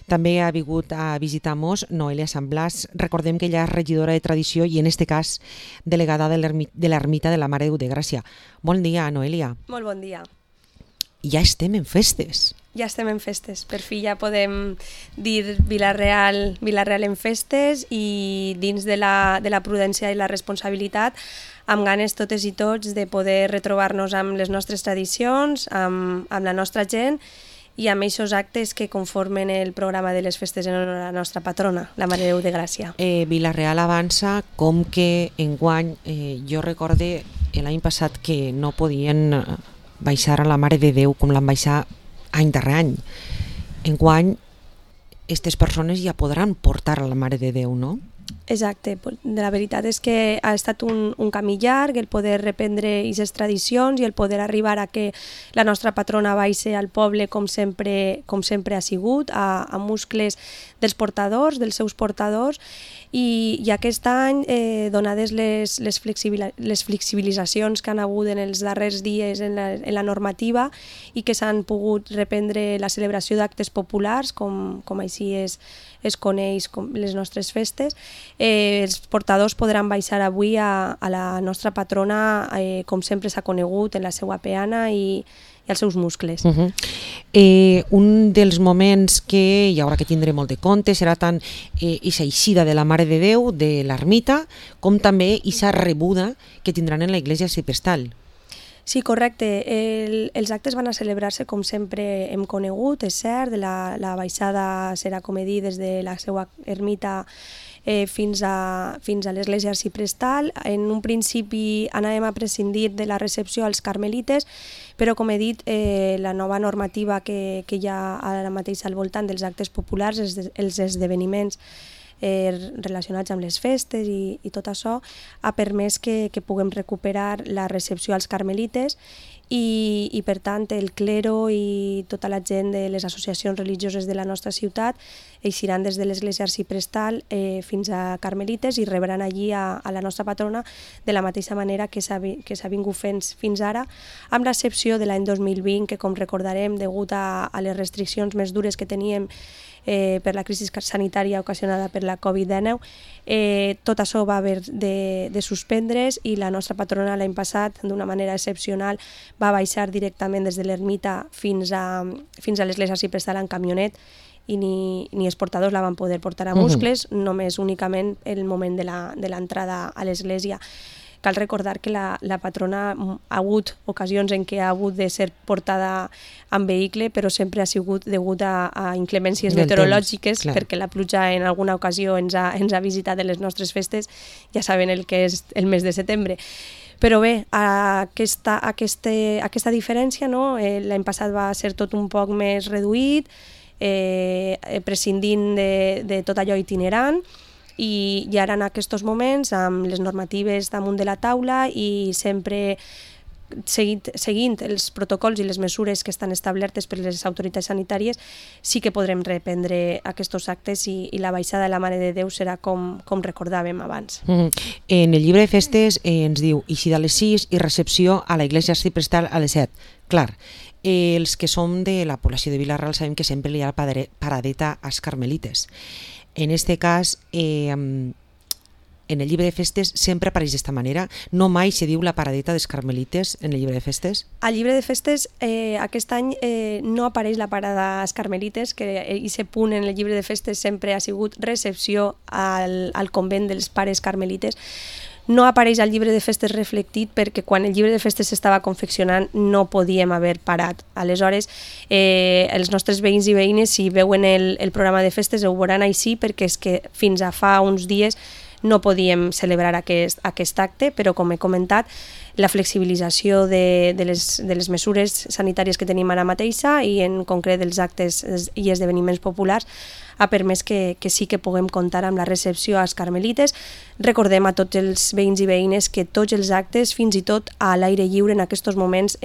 També ha vingut a visitar-nos Noelia Sant Blas. Recordem que ella és regidora de Tradició i en este cas delegada de l'Ermita de la Mare de Déu de Gràcia. Bon dia, Noelia. Molt bon dia. Ja estem en festes. Ja estem en festes. Per fi ja podem dir Vila-real en festes i dins de la prudència i la responsabilitat, amb ganes totes i tots de poder retrobar-nos amb les nostres tradicions, amb la nostra gent i amb aquests actes que conformen el programa de les festes en honor a la nostra patrona, la Mare de Déu de Gràcia. Vila-real avança com que enguany, jo recorde l'any passat que no podien baixar a la Mare de Déu com l'han baixat any darrer any. Enguany, aquestes persones ja podran portar a la Mare de Déu, no? Exacte, la veritat és que ha estat un camí llarg el poder reprendre aquestes tradicions i el poder arribar a que la nostra patrona baixi al poble com sempre ha sigut, a muscles dels portadors, dels seus portadors, i aquest any, donades les flexibilitzacions que han hagut en els darrers dies en la normativa i que s'han pogut reprendre la celebració d'actes populars, com així es coneix com les nostres festes, els portadors podran baixar avui a la nostra patrona com sempre s'ha conegut, en la seva peana i els seus muscles. Un dels moments que hi haurà que tindre molt de compte serà tant aquesta eixida de la Mare de Déu de l'ermita com també aquesta rebuda que tindran en la Iglesia Arciprestal. Sí, correcte. Els actes van a celebrar-se com sempre hem conegut, és cert, la baixada serà, com he dit, des de la seva ermita fins a l'església arciprestal. En un principi anàvem a prescindir de la recepció als carmelites, però com he dit, la nova normativa que hi ha ara mateix al voltant dels actes populars, els esdeveniments relacionats amb les festes i tot això, ha permès que puguem recuperar la recepció als carmelites i per tant el clero i tota la gent de les associacions religioses de la nostra ciutat eixiran des de l'església arciprestal fins a carmelites i rebran allí a la nostra patrona de la mateixa manera que s'ha vingut fent fins ara, amb l'excepció de l'any 2020 que, com recordarem, degut a les restriccions més dures que teníem per la crisi sanitària ocasionada per la Covid-19, tot això va haver de suspendre's i la nostra patrona l'any passat, d'una manera excepcional, va baixar directament des de l'ermita fins a l'església arciprestal en camionet i ni els portadors la van poder portar a muscles, només únicament el moment de l'entrada a l'església. Cal recordar que la patrona ha hagut ocasions en què ha hagut de ser portada en vehicle, però sempre ha sigut degut a inclemències meteorològiques, perquè la pluja en alguna ocasió ens ha visitat en les nostres festes, ja saben el que és el mes de setembre. Però bé, aquesta diferència, no? L'any passat va ser tot un poc més reduït, prescindint de tot allò itinerant, i ara en aquests moments, amb les normatives damunt de la taula i sempre seguint els protocols i les mesures que estan establertes per les autoritats sanitàries, sí que podrem reprendre aquests actes i la baixada de la Mare de Déu serà com recordàvem abans. En el llibre de festes ens diu eixida a les 6 i recepció a la Iglesia Arciprestal a les 7. Clar, els que som de la població de Vila-real sabem que sempre hi ha paradeta als carmelites. En este cas, en el llibre de festes sempre apareix d'esta manera, no mai se diu la paradeta dels carmelites en el llibre de festes? Al llibre de festes aquest any no apareix la parada als carmelites, que aquest punt en el llibre de festes sempre ha sigut recepció al convent dels pares carmelites. No apareix al llibre de festes reflectit perquè quan el llibre de festes s'estava confeccionant no podíem haver parat. Aleshores, els nostres veïns i veïnes, si veuen el programa de festes, ho veuran així, perquè és que fins a fa uns dies no podíem celebrar aquest acte, però com he comentat, la flexibilització de les mesures sanitàries que tenim ara mateixa i en concret dels actes i esdeveniments populars ha permès que sí que puguem comptar amb la recepció als carmelites. Recordem a tots els veïns i veïnes que tots els actes, fins i tot a l'aire lliure en aquests moments,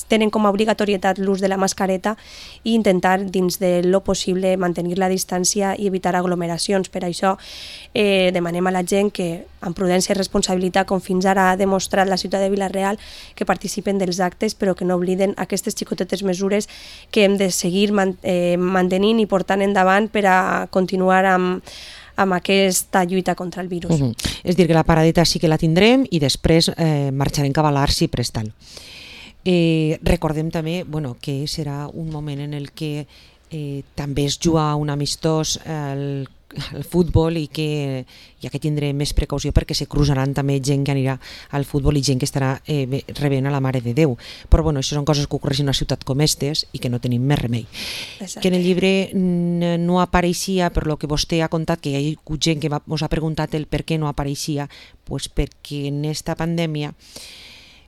tenen com a obligatorietat l'ús de la mascareta i intentar, dins de lo possible, mantenir la distància i evitar aglomeracions. Per això demanem a la gent que, amb prudència i responsabilitat, com fins ara ha demostrat la ciutat de Vila-real, que participen dels actes, però que no obliden aquestes xicotetes mesures que hem de seguir mantenint i portant endavant per a continuar amb aquesta lluita contra el virus. És dir, que la paradeta sí que la tindrem i després marxarem cap a l'Arci Prestal. Recordem també que serà un moment en el que també es juga un amistós al futbol i que ja que tindrem més precaució perquè se cruzaran també gent que anirà al futbol i gent que estarà rebent a la Mare de Déu. Però això són coses que ocorreixen en una ciutat com estes i que no tenim més remei. Exacte. Que en el llibre no apareixia, per lo que vostè ha contat, que hi ha hagut gent que us ha preguntat el per què no apareixia, doncs perquè en esta pandèmia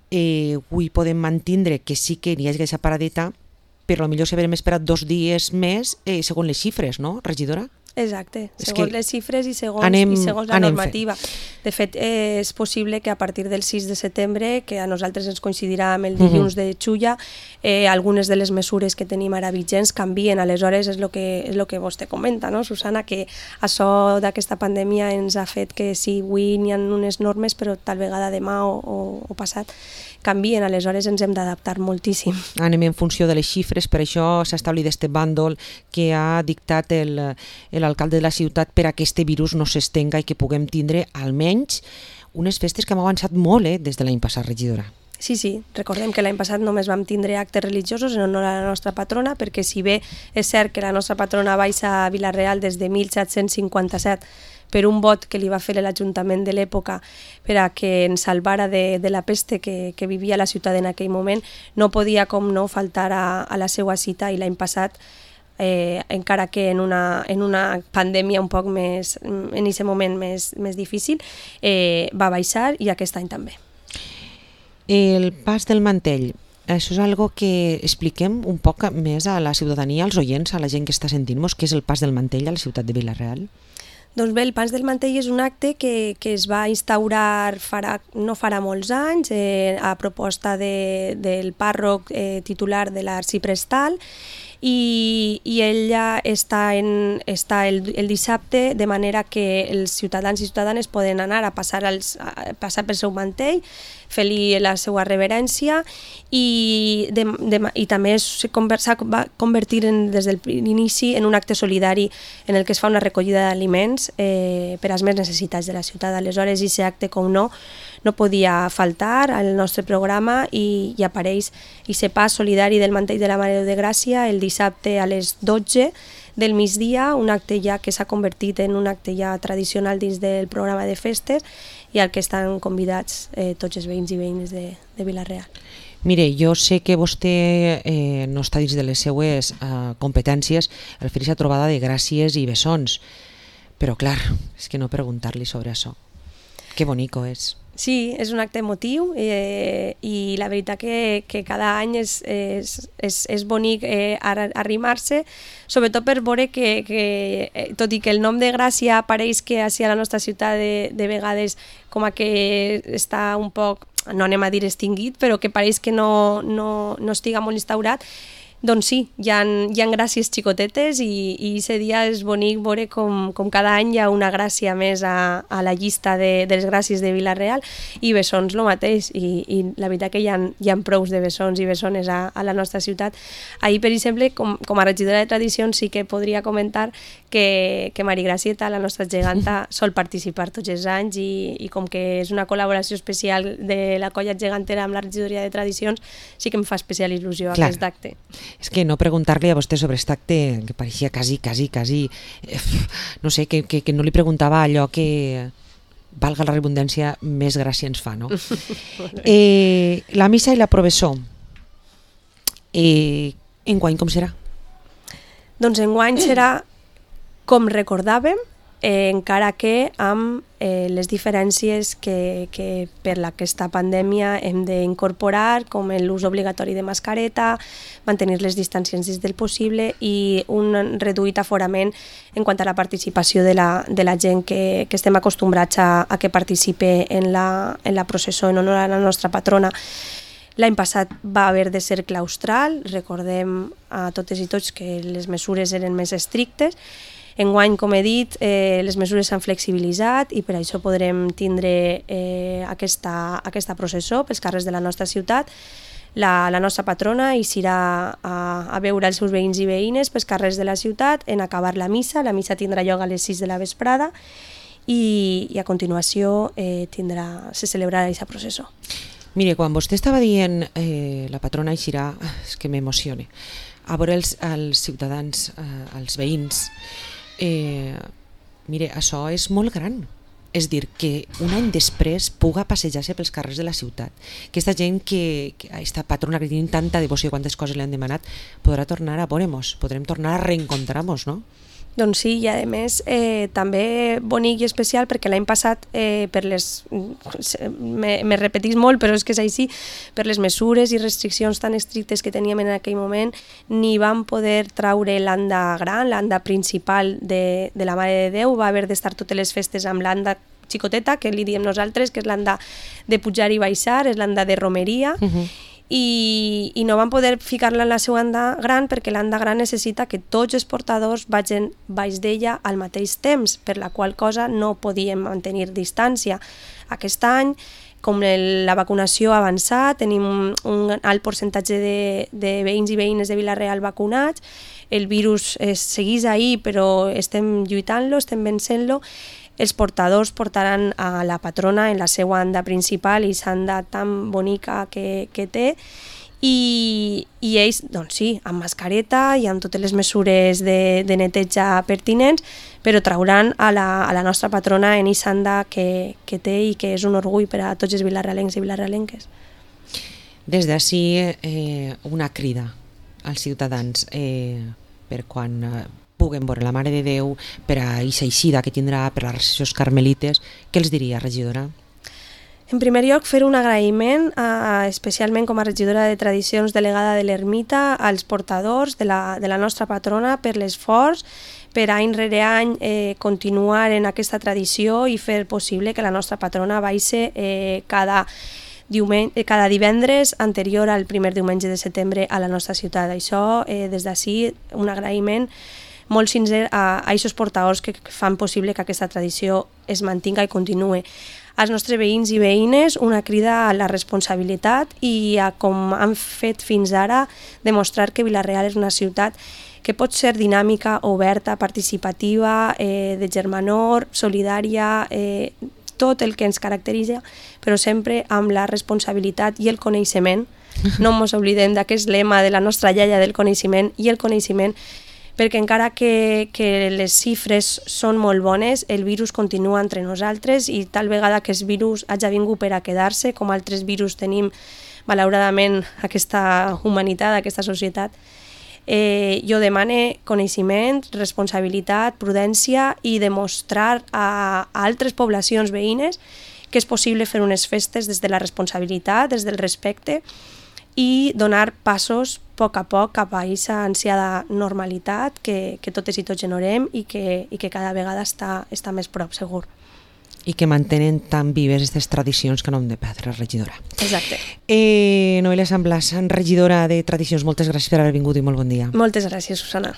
avui podem mantindre que sí que hi hagi aquesta paradeta, però potser s'haurem esperat 2 dies més segons les xifres, no, regidora? Exacte, segons les xifres i segons la normativa. De fet, és possible que a partir del 6 de setembre, que a nosaltres ens coincidirà amb el dilluns de Xulla, algunes de les mesures que tenim ara vigents canvien. Aleshores, és el que vostè comenta, no, Susana, que això d'aquesta pandèmia ens ha fet que sí, avui n'hi ha unes normes, però tal vegada demà o passat canvien, aleshores ens hem d'adaptar moltíssim. Anem en funció de les xifres, per això s'ha establit este bàndol que ha dictat l'alcalde de la ciutat per a que este virus no s'estenga i que puguem tindre almenys unes festes que hem avançat molt des de l'any passat, regidora. Sí, recordem que l'any passat només vam tindre actes religiosos en honor a la nostra patrona, perquè si bé és cert que la nostra patrona baixa a Vila-real des de 1757 per un vot que li va fer l'Ajuntament de l'època per a que ens salvara de la peste que vivia la ciutat en aquell moment, no podia com no faltar a la seva cita, i l'any passat, encara que en una pandèmia un poc més, en aquest moment més difícil, va baixar, i aquest any també. El pas del mantell, això és algo que expliquem un poc més a la ciutadania, als oients, a la gent que està sentint-nos, què és el pas del mantell a la ciutat de Vila-real? Doncs bé, el pas del mantell és un acte que es va instaurar no farà molts anys a proposta del pàrroc titular de l'Arciprestal, i ella està el dissabte, de manera que els ciutadans i ciutadanes poden anar a passar pel seu mantell, fer-li la seva reverència, i també s'ha convertir des del inici en un acte solidari en el que es fa una recollida d'aliments per als més necessitats de la ciutat. Aleshores, aquest acte, com no podia faltar al nostre programa, i apareix aquest pas solidari del mantell de la Mare de Déu de Gràcia el dissabte a les 12 del migdia, un acte ja que s'ha convertit en un acte ja tradicional dins del programa de festes, i al que estan convidats tots els veïns i veïnes de Vila-real. Mire, jo sé que vostè no està dins de les seues competències el fer aquesta trobada de gràcies i bessons, però clar, és que no preguntar-li sobre això. Que bonico és. Sí, és un acte emotiu, i la veritat que cada any és bonic arrimar-se, sobretot per veure que tot i que el nom de Gràcia apareix que a la nostra ciutat de vegades com a que està un poc, no anem a dir extingit, però que pareix que no estiga molt instaurat, doncs sí, hi ha gràcies xicotetes, i aquest dia és bonic veure com cada any hi ha una gràcia més a la llista de les gràcies de Vila-real, i bessons el mateix, i la veritat que hi ha prous de bessons i bessones a la nostra ciutat. Ahir, per exemple, com a regidora de tradicions, sí que podria comentar que Mari Gracieta, la nostra geganta, sol participar tots els anys, i com que és una col·laboració especial de la colla gegantera amb la regidoria de tradicions, sí que em fa especial il·lusió aquest acte. És que no preguntar-li a vostè sobre aquest acte, que pareixia quasi, no sé, que no li preguntava allò que, valga la redundància, més gràcia ens fa, no? La missa i la professó, enguany com serà? Doncs enguany serà com recordàvem, encara que amb les diferències que per aquesta pandèmia hem d'incorporar, com l'ús obligatori de mascareta, mantenir les distàncies dins del possible, i un reduït aforament en quant a la participació de la gent que estem acostumbrats a que participe en la processó en honor a la nostra patrona. L'any passat va haver de ser claustral, recordem a totes i tots que les mesures eren més estrictes. Enguany, com he dit, les mesures s'han flexibilitzat i per això podrem tindre aquesta processó pels carrers de la nostra ciutat. La nostra patrona eixirà a veure els seus veïns i veïnes pels carrers de la ciutat en acabar la missa. La missa tindrà lloc a les 6 de la vesprada i a continuació se celebrarà aquesta processó. Mire, quan vostè estava dient la patrona eixirà, és que m'emocione, a veure els ciutadans, els veïns, mire, això és molt gran. És dir, que un any després puga passejar-se pels carrers de la ciutat. Aquesta gent que aquesta patrona que tenim tanta devoció i quantes coses li han demanat, podrà tornar a veure-nos, podrem tornar a reencontrar-nos, no? Doncs sí, i a més també bonic i especial perquè l'any passat me repetís molt, però és que és així, per les mesures i restriccions tan estrictes que teníem en aquell moment, ni vam poder traure l'anda gran, l'anda principal de la Mare de Déu. Va haver d'estar totes les festes amb l'anda xicoteta, que li diem nosaltres, que és l'anda de pujar i baixar, és l'anda de romeria, i no van poder ficar-la en la seva anda gran perquè l'anda gran necessita que tots els portadors vagin baix d'ella al mateix temps, per la qual cosa no podíem mantenir distància. Aquest any, com la vacunació ha avançat, tenim un alt percentatge de veïns i veïnes de Vila-real vacunats, el virus segueix ahí però estem lluitant-lo, estem vencent-lo. Els portadors portaran a la patrona en la seva anda principal i l'anda tan bonica que té, i ells, doncs sí, amb mascareta i amb totes les mesures de neteja pertinents, però trauran a la nostra patrona en l'anda que té i que és un orgull per a tots els vilarealencs i vilarealenques. Des d'ací una crida als ciutadans per quan puguen veure la Mare de Déu, per a aquesta eixida que tindrà per les recessions carmelites. Què els diria, regidora? En primer lloc, fer un agraïment, especialment com a regidora de tradicions delegada de l'ermita, als portadors de la nostra patrona per l'esforç, per any rere any continuar en aquesta tradició i fer possible que la nostra patrona baixi cada divendres anterior al primer diumenge de setembre a la nostra ciutat. Això, des d'ací, un agraïment molt sincer a aquests portadors que fan possible que aquesta tradició es mantinga i continuï. Als nostres veïns i veïnes, una crida a la responsabilitat i a, com han fet fins ara, demostrar que Vila-real és una ciutat que pot ser dinàmica, oberta, participativa, de germanor, solidària, tot el que ens caracteritza, però sempre amb la responsabilitat i el coneixement. No ens oblidem d'aquest lema de la nostra iaia del coneixement i el coneixement, perquè encara que les xifres són molt bones, el virus continua entre nosaltres i tal vegada que el virus hagi vingut per a quedar-se, com altres virus tenim malauradament aquesta humanitat, aquesta societat, jo demane coneixement, responsabilitat, prudència i demostrar a altres poblacions veïnes que és possible fer unes festes des de la responsabilitat, des del respecte, i donar passos a poc cap a aquesta ansiada normalitat que totes i tots generem i que cada vegada està més prop, segur. I que mantenen tan vives aquestes tradicions que no hem de perdre, regidora. Exacte. Noelia Samblas, regidora de Tradicions, moltes gràcies per haver vingut i molt bon dia. Moltes gràcies, Susana.